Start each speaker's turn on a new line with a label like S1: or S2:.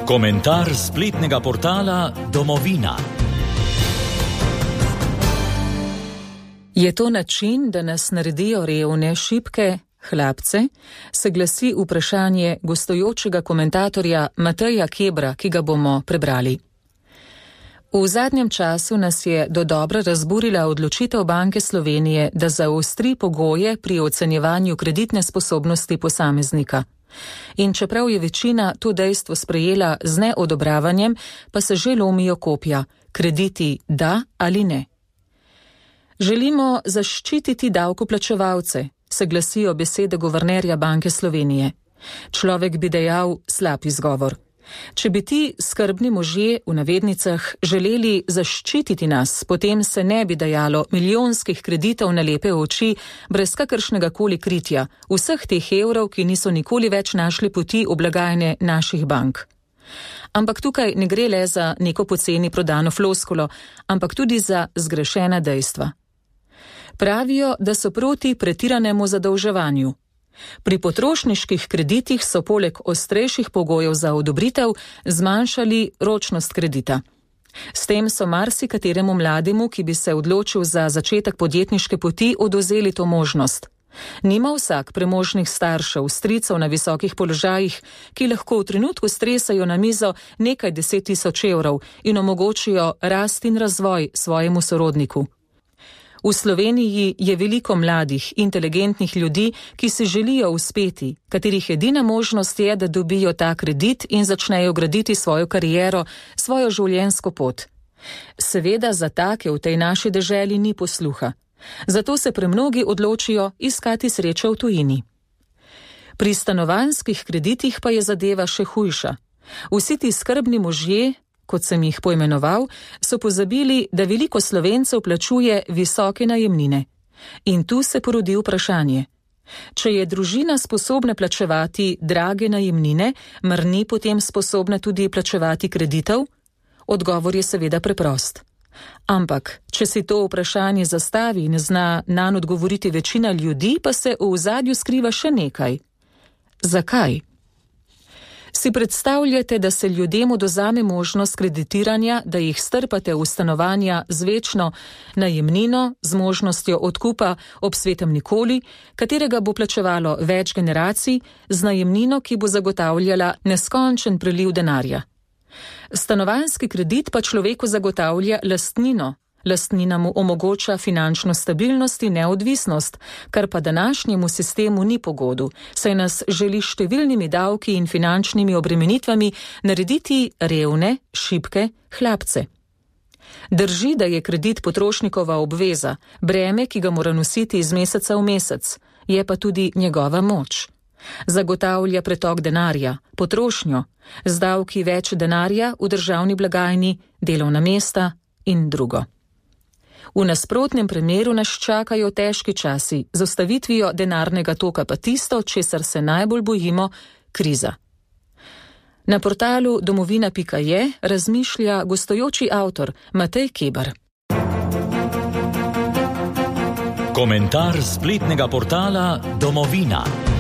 S1: Komentar spletnega portala Domovina.
S2: Je to način, da nas naredijo revne, šibke, hlapce? Se glasi vprašanje gostujočega komentatorja Mateja Kebra, ki ga bomo prebrali. V zadnjem času nas je dodobra razburila odločitev Banke Slovenije, da zaostri pogoje pri ocenjevanju kreditne sposobnosti posameznika. In čeprav je večina to dejstvo sprejela z neodobravanjem, pa se že lomijo kopja, krediti da ali ne. Želimo zaščititi davkoplačevalce, se glasijo besede guvernerja Banke Slovenije. Človek bi dejal slab izgovor. Če bi ti skrbni možje v navednicah želeli zaščititi nas, potem se ne bi dajalo milijonskih kreditov na lepe oči brez kakršnega koli kritja, vseh teh evrov, ki niso nikoli več našli poti v blagajne naših bank. Ampak tukaj ne gre le za neko poceni prodano floskulo, ampak tudi za zgrešena dejstva. Pravijo, da so proti pretiranemu zadolževanju. Pri potrošniških kreditih so poleg ostrejših pogojev za odobritev zmanjšali ročnost kredita. S tem so marsikateremu mlademu, ki bi se odločil za začetek podjetniške poti, odvzeli to možnost. Nima vsak premožnih staršev, stricev na visokih položajih, ki lahko v trenutku stresajo na mizo nekaj 10 000 evrov in omogočijo rast in razvoj svojemu sorodniku. V Sloveniji je veliko mladih, inteligentnih ljudi, ki si želijo uspeti, katerih edina možnost je, da dobijo ta kredit in začnejo graditi svojo kariero, svojo življenjsko pot. Seveda za take v tej naši deželi ni posluha. Zato se premnogi odločijo iskati srečo v tujini. Pri stanovanjskih kreditih pa je zadeva še hujša. Vsi ti skrbni možje, kot sem jih poimenoval, so pozabili, da veliko Slovencev plačuje visoke najemnine. In tu se porodi vprašanje. Če je družina sposobna plačevati drage najemnine, mar ni potem sposobna tudi plačevati kreditov? Odgovor je seveda preprost. Ampak, če si to vprašanje zastavi in zna nanj odgovoriti večina ljudi, pa se v ozadju skriva še nekaj. Zakaj? Si predstavljate, da se ljudem odvzame možnost kreditiranja, da jih strpate v stanovanja z večno najemnino, z možnostjo odkupa ob svetem nikoli, katerega bo plačevalo več generacij, z najemnino, ki bo zagotavljala neskončen priliv denarja. Stanovanjski kredit pa človeku zagotavlja lastnino. Lastnina mu omogoča finančno stabilnost in neodvisnost, kar pa današnjemu sistemu ni pogodu, saj nas želi številnimi davki in finančnimi obremenitvami narediti revne, šibke, hlapce. Drži, da je kredit potrošnikova obveza, breme, ki ga mora nositi iz meseca v mesec, je pa tudi njegova moč. Zagotavlja pretok denarja, potrošnjo, z davki več denarja v državni blagajni, delovna mesta in drugo. V nasprotnem primeru nas čakajo težki časi, z ustavitvijo denarnega toka pa tisto, česar se najbolj bojimo, kriza. Na portalu domovina.je razmišlja gostujoči avtor Matej Keber.
S1: Komentar spletnega portala Domovina.